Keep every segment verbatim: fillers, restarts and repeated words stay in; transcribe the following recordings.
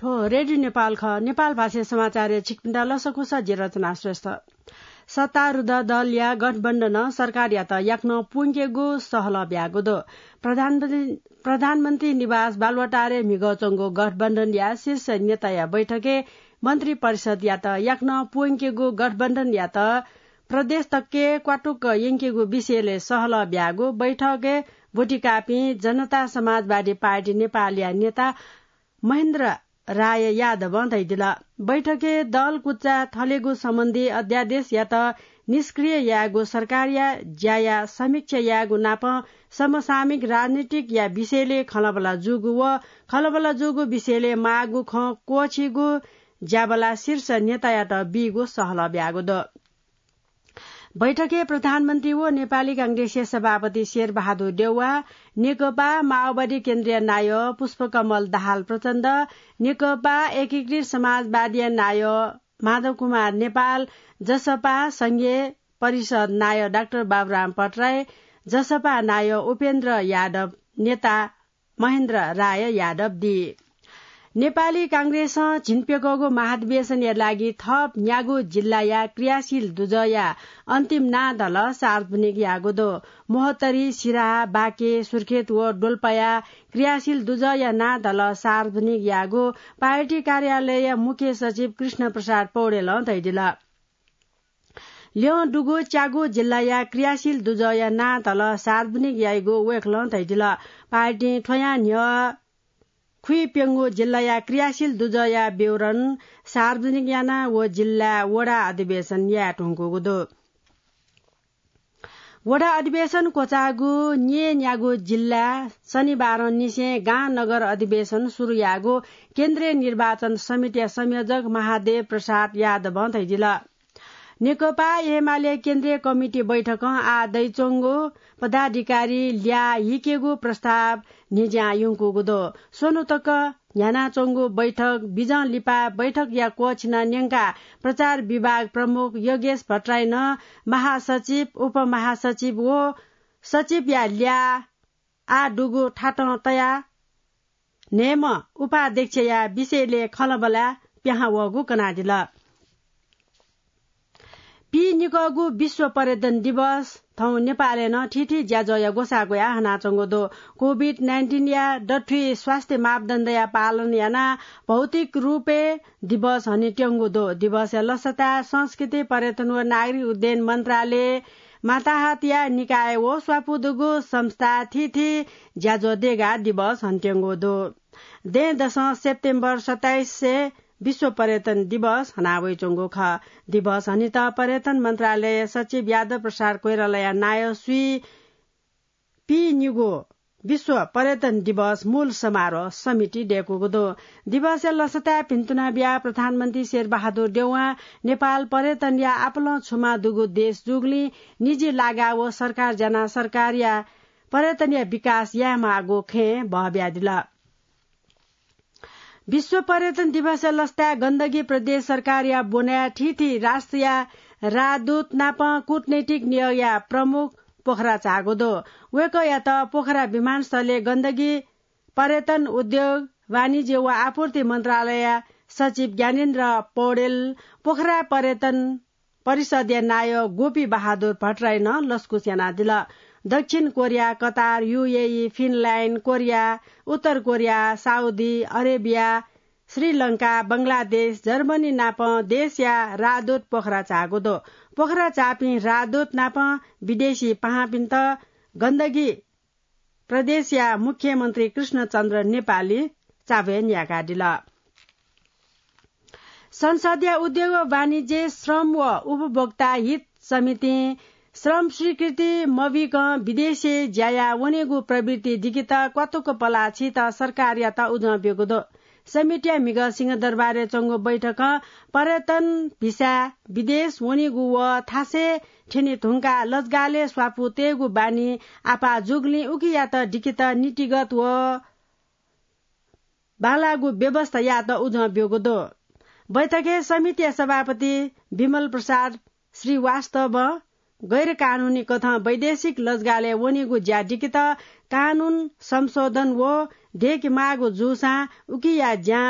हो, रेडियो नेपाल खः। नेपाल भाषा समाचारय् छिकपिन्त लसकुस, जि रचना श्रेष्ठ। सत्तारूढ दलया गठबन्धनं सरकारयात याकनं प्वंकेगु सहलह ब्यागु दु। प्रधानमन्त्री, प्रधानमन्त्री निवास बालुवाटारय् म्हिगः च्वंगु गठबन्धनया शीर्ष नेताया बैठकय् मन्त्री परिषदयात याकनं प्वंकेगु गठबन्धनयात प्रदेश तक्के क्वातुक्क यंकेगु विषयलय् सहलह ब्यागु बैठकय् ब्वतिकापिं जनता समाजवादी पार्टी नेपालया नेता महेन्द्र राय यादवं धयादिल। बैठकय् दल कुचा थलेगु सम्बन्धी अध्यादेशयात निष्क्रिय यायेगु, सरकारया ज्याया समीक्षा यायेगु नाप समसामयिक राजनीतिकया विषयलय् खँल्हाबल्हा जूगु व खँल्हाबल्हा जूगु विषयलय् माःगु खँ क्वःछीगु ज्याबल्हा शीर्ष नेतायात बीगु सहलह ब्यागु दु। बैठकय् प्रधानमन्त्री व नेपाली कांग्रेसया सभापति शेरबहादुर देउवा, नेकपा माओवादी केन्द्रीय नायः पुष्पकमल दाहाल प्रचण्ड, नेकपा एकीकृत समाजवादीया नायः माधव कुमार नेपाल, जसपा संघीय परिषद नायः डाक्टर बाबुराम भट्टराई, जसपा नायः उपेन्द्र यादव, नेता महेन्द्र राय यादव दी। नेपाली कांग्रेसं झिंप्यकःगु महाधिवेशनया लागि थप न्यागू जिल्लाया क्रियाशील दुजःया अन्तिम नां धलः सार्वजनिक याःगु दु। महोत्तरी, सिराहा, बाँके, सुर्खेत व डोल्पाया क्रियाशील दुजःया नां धलः सार्वजनिक याःगु पार्टी कार्यालयया मुख्य सचिव कृष्ण प्रसाद पौडेलं धयादिल। ल्यं दुगु च्यागू जिल्लाया क्रियाशील दुजःया नां धलः सार्वजनिक याइगु वय्कलं धयादिल। पार्टीं थ्वयां न्ह्यः खुइप्यंगू जिल्लाया क्रियाशील दुजःया विवरण सार्वजनिक यानाः व जिल्लाय् वडा अधिवेशन याये धुंकूगु दु। वडा अधिवेशन क्वचाःगु न्येन्यागू जिल्लाय् शनिबारं निसें गां नगर अधिवेशन सुरु याःगु केन्द्रीय निर्वाचन समितिया संयोजक महादेव प्रसाद यादवं धयादिल। नेकपा एमाले केन्द्रीय कमिटी बैठकं आः दइच्वंगु पदाधिकारी ल्याः हिकेगु प्रस्ताव न्हिज्यां यंकूगु दु। स्वन्हु तक न्ह्यानाच्वंगु बैठक बिजं लिपा बैठकया क्वःछिना न्यंकाः प्रचार विभाग प्रमुख योगेश भट्टराईनं महासचिव, उपमहासचिव व सचिवया ल्याः आः दुगु थातं तयाः न्हय्म्ह उपाध्यक्षया विषयलय् खँल्हाबल्हा पिहां वःगु कनादिल। पीनिकःगु विश्व पर्यटन दिवस थौं नेपालय् नं थीथी ज्याझ्वःया ग्वसाः ग्वयाः हनाच्वंगु दु। कोभिड नाइन्टिनया दथुइ स्वास्थ्य मापदण्डया पालन यानाः भौतिक रूपय् दिवस हनेत्यंगु दु। दिवसया लसताय् संस्कृति, पर्यटन व नागरिक उड्डयन मन्त्रालय, माताहतया निकाय व स्वापू दुगु संस्था थीथी ज्याझ्वः देगाः दिवस हनेत्यंगु दु। दँय्‌दसं सेप्टेम्बर सत्ताइसय् विश्व पर्यटन दिवस हनावइच्वंगु खः। दिवस हनेत पर्यटन मन्त्रालय सचिव यादव प्रसाद कोइरालाया नायः स्वीगू पीनिगू विश्व पर्यटन दिवस मूल समारोह समिति दय्‌कूगु दु। दिवसया लसताय् भिन्तुना बियाः प्रधानमन्त्री शेरबहादुर देउवां नेपाल पर्यटनया आपालं छुमा दुगु देश जूगुलिं निजी लागा व सरकार ज्यानाः सरकारया पर्यटनया विकास यायेमाःगु खँय् बहबियादिल। विश्व पर्यटन दिवसया लसताय् गण्डकी प्रदेश सरकारया ब्वनाय् थीथी राष्ट्रया राजदूत नाप कूटनैतिक नियोगया प्रमुख पोखरा झाःगु दु। वय्‌कःयात पोखरा विमानस्थलय् गण्डकी पर्यटन, उद्योग, वाणिज्य व आपूर्ति मन्त्रालयया सचिव ज्ञानेन्द्र पौडेल, पोखरा पर्यटन परिषदया नायः गोपी बहादुर भट्टराईनं लसकुस यानादिल। दक्षिण Korea, Qatar, UAE, Finland, Korea, उत्तर Korea, Saudi Arabia, Sri Lanka, Bangladesh, Germany नाप देशया राजदूत पोखरा झाःगु दु। पोखरा झाःपिं राजदूत नाप विदेशी पाहांपिन्त गण्डकी प्रदेशया मुख्यमन्त्री कृष्णचन्द्र नेपाली चाबय् न्यायेकादिल। संसदया उद्योग व वाणिज्य, श्रम व उपभोक्ता हित समितिं श्रम स्वीकृति मबीकं विदेशय् ज्या याः वनेगु प्रवृत्ति दिकेत क्वातुक पलाः छीत सरकारयात उजं ब्यूगु दु। समितिया म्हिगः सिंहदरबारय् च्वंगु बैठकं पर्यटन भिसाय् विदेश वनेगु व थासय् थ्यने धुंकाः लजगालय् स्वापू तयेगु बानी आपाः जूगुलिं उकियात दिकेत नीतिगत व बांलाःगु व्यवस्था यायेत उजं ब्यूगु दु। बैठकय् समितिया सभापति विमल प्रसाद श्रीवास्तवं गैर कानूनी कथं वैदेशिक लजगालय् वनेगु ज्या दिकेत कानून संशोधन व दयेकेमाःगु जूसां उकिया ज्यां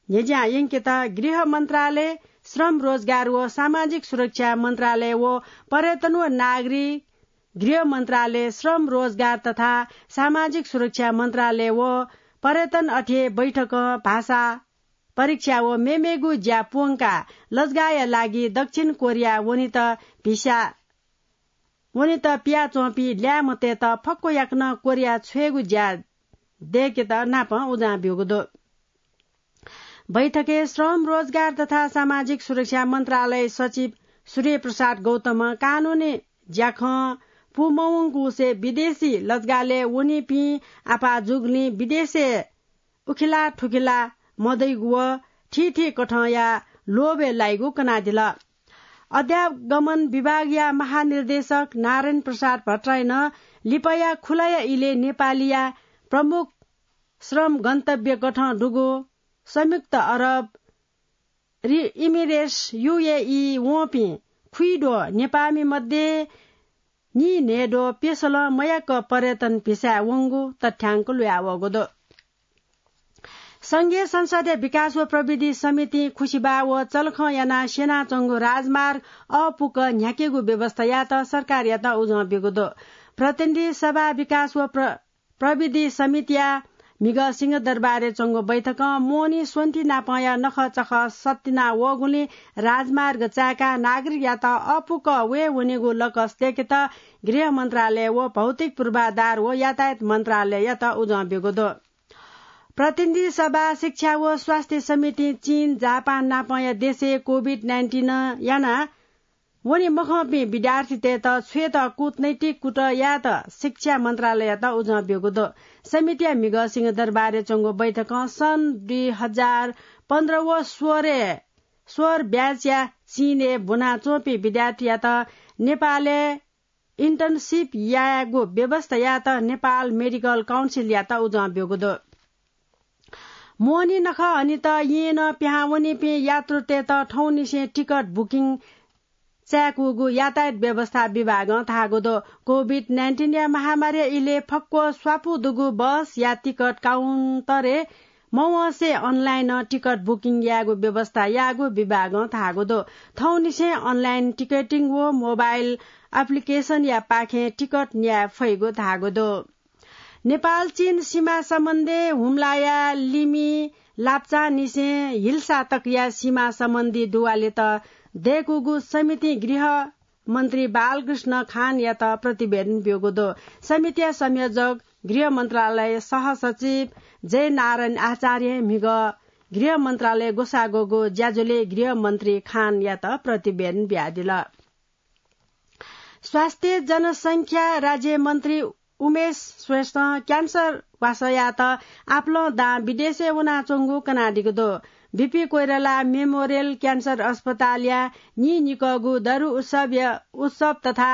न्ह्यज्यां यंकेत गृह मन्त्रालय, श्रम रोजगार व सामाजिक सुरक्षा मन्त्रालय व पर्यटन व नागरिक गृह मन्त्रालय, श्रम रोजगार तथा सामाजिक सुरक्षा मन्त्रालय व पर्यटन अथे बैठकं भाषा परीक्षा व मेमेगु ज्या प्वंकाः लजगाःया लागि दक्षिण कोरिया वनेत भिसा वनेत पियाच्वंपिं ल्याय्म्हतय्त फक्व याकनं कोरिया छ्वयेगु ज्या दय्केत नापं उजं ब्यूगु दु। बैठकय् श्रम, रोजगार तथा सामाजिक सुरक्षा मन्त्रालय सचिव सूर्य प्रसाद गौतमं कानूनी ज्याखँ पूमवंगुसे विदेशी लजगालय् वनीपिं आपाः जूगुलिं विदेशय् उखिला थुखिला मदइगु व थीथी कथंया लोभय् लाइगु कनादिल। अध्यागमन विभागया महानिर्देशक नारायण प्रसाद भट्टराईनं लिपाया खुलाया इलय् नेपालीया प्रमुख श्रम गन्तव्य कथं दुगु संयुक्त अरब रि-, इमिरेट्स, युएई, वंपिं खुइद्वः नेपाःमि मध्ये नीन्हय्द्वः पेसलं मयाक पर्यटन भिसाय् वंगु तथ्याङ्क ल्हुयावःगु दु। संघीय संसदया विकास व प्रविधि समितिं खुसिबाः व चलखं यानाः स्यनाच्वंगु राजमार्ग अःपुक न्ह्याकेगु व्यवस्था यायेत सरकारयात उजं ब्यूगु दु। प्रतिनिधि सभा विकास व प्र-, प्रविधि समितिया म्हिगः सिंहदरबारय् च्वंगु बैठकं मोहनी स्वन्ति नापंया नखःचखः सत्तिना वःगुलिं राजमार्ग चाय्काः नागरिकयात अःपुक वये वनेगु लकस दय्केत गृह मन्त्रालय व भौतिक पूर्वाधार व यातायात मन्त्रालययात उजं ब्यूगु दु। प्रतिनिधि सभा शिक्षा व स्वास्थ्य समितिं चीन, जापान नापंया देशय् कोभिड नाइन्टिन याना वने मखंपिं विद्यार्थीतय्त छ्वयेत कूटनैतिक कुतः यायेत शिक्षा मन्त्रालययात उजं ब्यूगु दु। समितिया म्हिगः सिंहदरबारय् च्वंगु बैठकं सन् दुई हजार पन्ध्र व सोह्रय्, सोह्र ब्याचया चीनय् ब्वनाच्वंपिं विद्यार्थीयात नेपालय् internship यायेगु व्यवस्था यायेत नेपाल मेडिकल काउन्सिलयात उजं ब्यूगु दु। मोहनी नखः हनेत येँनं पिहां वनीपिं यात्रुतय्त थौंनिसें टिकट बुकिङ चाय्कूगु यातायात व्यवस्था विभागं धाःगु दु। कोभिड नाइन्टिनया महामारीया इलय् फक्व स्वापू दुगु बसया टिकट काउन्टरय् मवंसे अनलाइनं टिकट बुकिङ यायेगु व्यवस्था याःगु विभागं धाःगु दु। थौंनिसें अनलाइन टिकटिङ व मोबाइल एप्लिकेसनया पाखें टिकट न्याये फइगु धाःगु दु। नेपाल चीन सीमा सम्बन्धी हुम्लाया लिमि लाप्चांनिसें हिल्सा तकया सीमा सम्बन्धी दुवालेत दय्कूगु समितिं गृह मन्त्री बालकृष्ण खानयात प्रतिवेदन ब्यूगु दु। समितिया संयोजक गृह मन्त्रालय सहसचिव जयनारायण आचार्यं म्हिगः गृह मन्त्रालय ग्वसाः ग्वःगु ज्याझ्वलय् गृह मन्त्री खानयात प्रतिवेदन बियादिल। स्वास्थ्य जनसंख्या राज्य मन्त्री उमेश श्रेष्ठं क्यान्सर ग्वासयात आपालं दां विदेशय् वनाच्वंगु कनादीगु दु। बीपी कोइराला मेमोरियल क्यान्सर अस्पतालया नीनिकःगु दरु उत्सवया, उत्सव तथा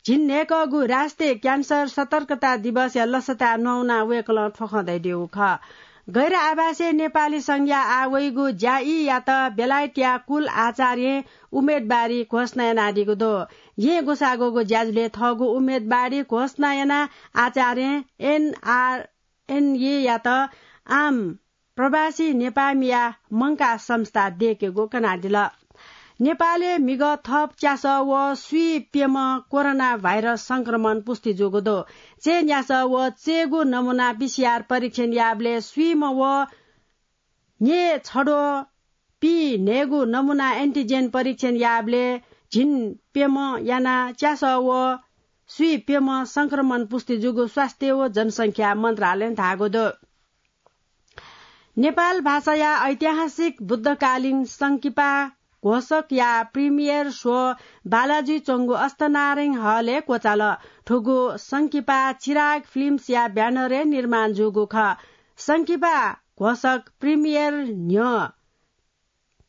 झिंन्हय्कःगु राष्ट्रिय क्यान्सर सतर्कता दिवसया लसताय् न्ववानाः वय्कलं थ्व खँ धयादीगु खः। गैर आवासीय नेपाली संघया आः वइगु ज्याईयात बेलायतया कुल आचार्यं उम्मेदवारी घोषणा यानादीगु दु। येँ ग्वसाः ग्वःगु ज्याझ्वलय् थःगु उम्मेदवारी घोषणा यानाः आचार्यं एनआरएनएयात आम प्रवासी नेपाःमिया मंकाः संस्था दय्केगु कनादिल। नेपालय् म्हिगः थप च्यासः व स्वीप्यम्ह कोरोना भाइरस संक्रमण पुष्टि जूगु दु। चय्न्यासः व चय्गू नमुना पीसीआर परीक्षण याःबलय् स्वीम्ह व न्येछद्वः पीन्हय्गू नमुना एन्टिजेन परीक्षण याःबलय् झिंप्यम्ह यानाः च्यासः व स्वीप्यम्ह संक्रमण पुष्टि जूगु स्वास्थ्य व जनसंख्या मन्त्रालयं धाःगु दु। नेपाल भाषाया ऐतिहासिक बुद्धकालीन संकिपा घोषकया प्रिमियर शो बालाजुइ च्वंगु अष्टनारायण हलय् क्वचाल। थुगु संकिपा चिराग फिल्म्सया ब्यानरय् निर्माण जूगु खः। संकिपा घोषक प्रिमियर न्ह्यः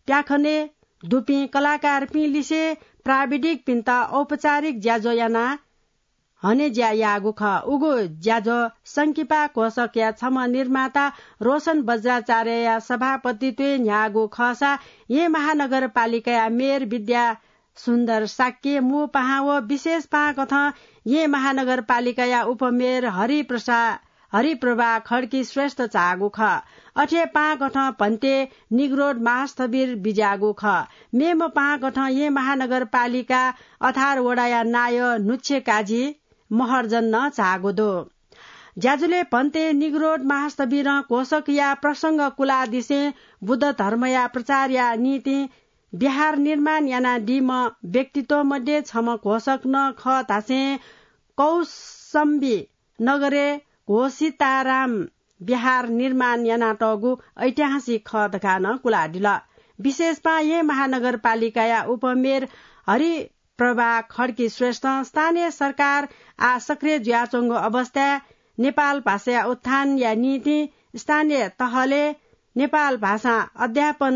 प्याखनय् दुपिं कलाकारपिं लिसे प्राविधिकपिन्त औपचारिक ज्याझ्वः यानाः हने ज्या याःगु खः। उगु ज्याझ्वः संकिपा घोषकया छम्ह निर्माता रोशन बज्राचार्यया सभापतित्वय् न्ह्याःगु खःसा येँ महानगरपालिकाया मेयर विद्या सुन्दर शाक्य मू पाहां व विशेष पाहां कथं येँ महानगरपालिकाया उपमेयर हरिप्रसाद हरिप्रभा खड्की श्रेष्ठ चाःगु खः। अथे पाहां कथं भन्ते निग्रोध महास्थविर बिज्याःगु खः। मेम्ह पाहां कथं येँ महानगरपालिका अथार वडाया नायः नुच्छे काजी महर्जन नं चाःगु दु। ज्याझ्वलय् भन्ते निग्रोध महास्थविरं घोषकया प्रसंग कुलादिसें बुद्ध धर्मया प्रचारया निंतिं विहार निर्माण यानादीम्ह व्यक्तित्व मध्ये छम्ह घोषक नं खः धासें कौसम्बी नगरय् घोषिताराम विहार निर्माण यानातःगु ऐतिहासिक खः धकाः नं कुलादिल। विशेषपां येँ महानगरपालिकाया उपमेयर हरिप्रभा खड्की श्रेष्ठं स्थानीय सरकार आः सक्रिय जुयाच्वंगु अवस्थाय् नेपाल भाषाया उत्थानया निंतिं स्थानीय तहलय् नेपाल भाषां अध्यापन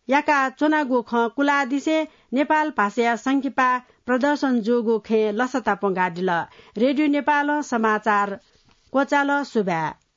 याका च्वनागु खँ कुलादिसें नेपाल भाषाया संकिपा प्रदर्शन जूगु खँय् लसता प्वंकादिल। रेडियो नेपालं समाचार क्वचाल। सुभाय्।